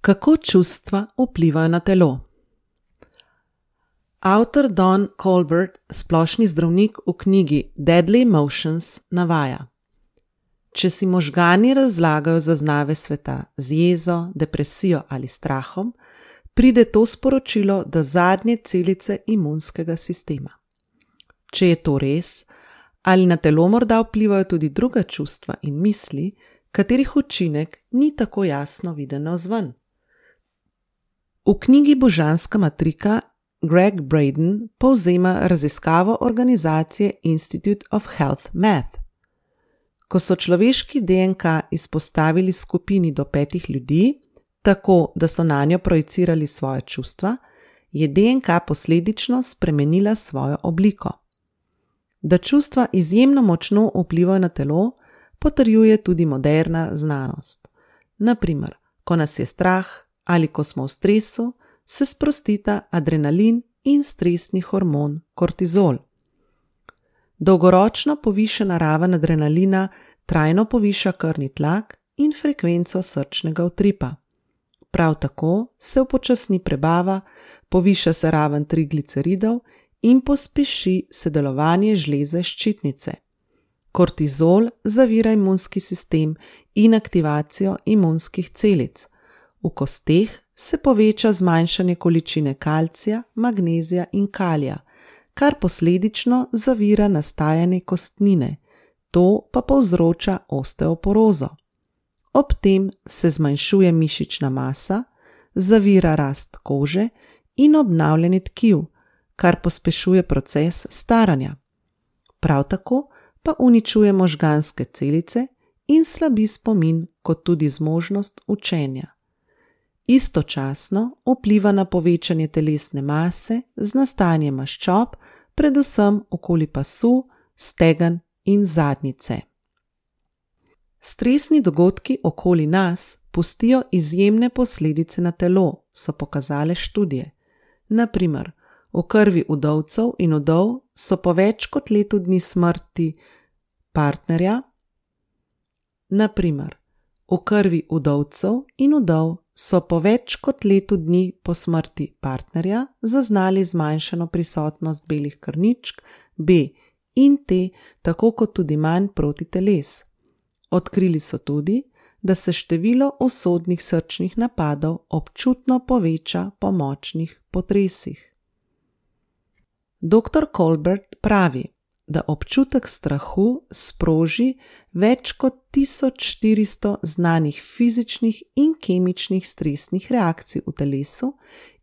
Kako čustva vplivajo na telo? Avtor Don Colbert, splošni zdravnik, v knjigi Deadly Emotions navaja: če si možgani razlagajo zaznave sveta z jezo, depresijo ali strahom, pride to sporočilo do zadnje celice imunskega sistema. Če je to res, ali na telo morda vplivajo tudi druga čustva in misli, katerih učinek ni tako jasno viden navzven. V knjigi Božanska matrika Greg Braden povzema raziskavo organizacije Institute of Health Math. Ko so človeški DNK izpostavili skupini do 5 ljudi, tako da so nanjo projicirali svoje čustva, je DNK posledično spremenila svojo obliko. Da čustva izjemno močno vplivajo na telo, potrjuje tudi moderna znanost. Na primer, ko nas je strah ali ko smo v stresu, se sprostita adrenalin in stresni hormon kortizol. Dolgoročno povišana raven adrenalina trajno poviša krvni tlak in frekvenco srčnega utripa. Prav tako se upočasni prebava, poviša se raven trigliceridov in pospeši se delovanje žleze ščitnice. Kortizol zavira imunski sistem in aktivacijo imunskih celic. V kosteh se poveča zmanjšanje količine kalcija, magnezija in kalija, kar posledično zavira nastajanje kostnine, to pa povzroča osteoporozo. Ob tem se zmanjšuje mišična masa, zavira rast kože in obnavljanje tkiv, kar pospešuje proces staranja. Prav tako pa uničuje možganske celice in slabi spomin kot tudi zmožnost učenja. Istočasno vpliva na povečanje telesne mase z nastajanjem maščob, predvsem okoli pasu, stegen in zadnjice. Stresni dogodki okoli nas pustijo izjemne posledice na telo, so pokazale študije. Na primer, v krvi vdovcev in vdov so po več kot letu dni smrti partnerja zaznali zmanjšano prisotnost belih krvničk B in T, tako kot tudi manj protiteles. Odkrili so tudi, da se število usodnih srčnih napadov občutno poveča po močnih potresih. Dr. Colbert pravi, da občutek strahu sproži več kot 1400 znanih fizičnih in kemičnih stresnih reakcij v telesu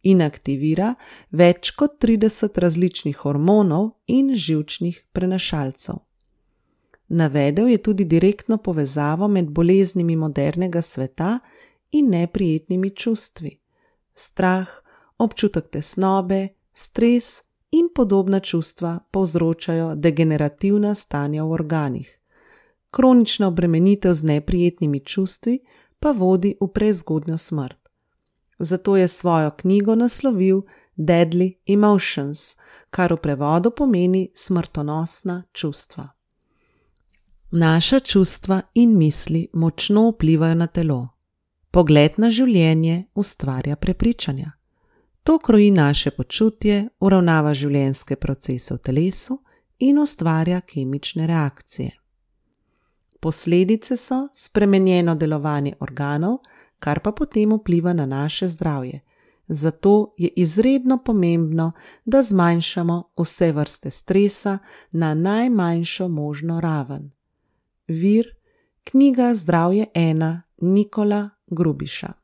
in aktivira več kot 30 različnih hormonov in živčnih prenašalcev. Navedel je tudi direktno povezavo med boleznimi modernega sveta in neprijetnimi čustvi. Strah, občutek tesnobe, stres in podobna čustva povzročajo degenerativna stanja v organih. Kronična obremenitev z neprijetnimi čustvi pa vodi v prezgodnjo smrt. Zato je svojo knjigo naslovil Deadly Emotions, kar v prevodu pomeni smrtonosna čustva. Naša čustva in misli močno vplivajo na telo. Pogled na življenje ustvarja prepričanja. To kroji naše počutje, uravnava življenjske procese v telesu in ustvarja kemične reakcije. Posledice so spremenjeno delovanje organov, kar pa potem vpliva na naše zdravje. Zato je izredno pomembno, da zmanjšamo vse vrste stresa na najmanjšo možno raven. Vir: knjiga Zdravje 1 Nikola Grubiša.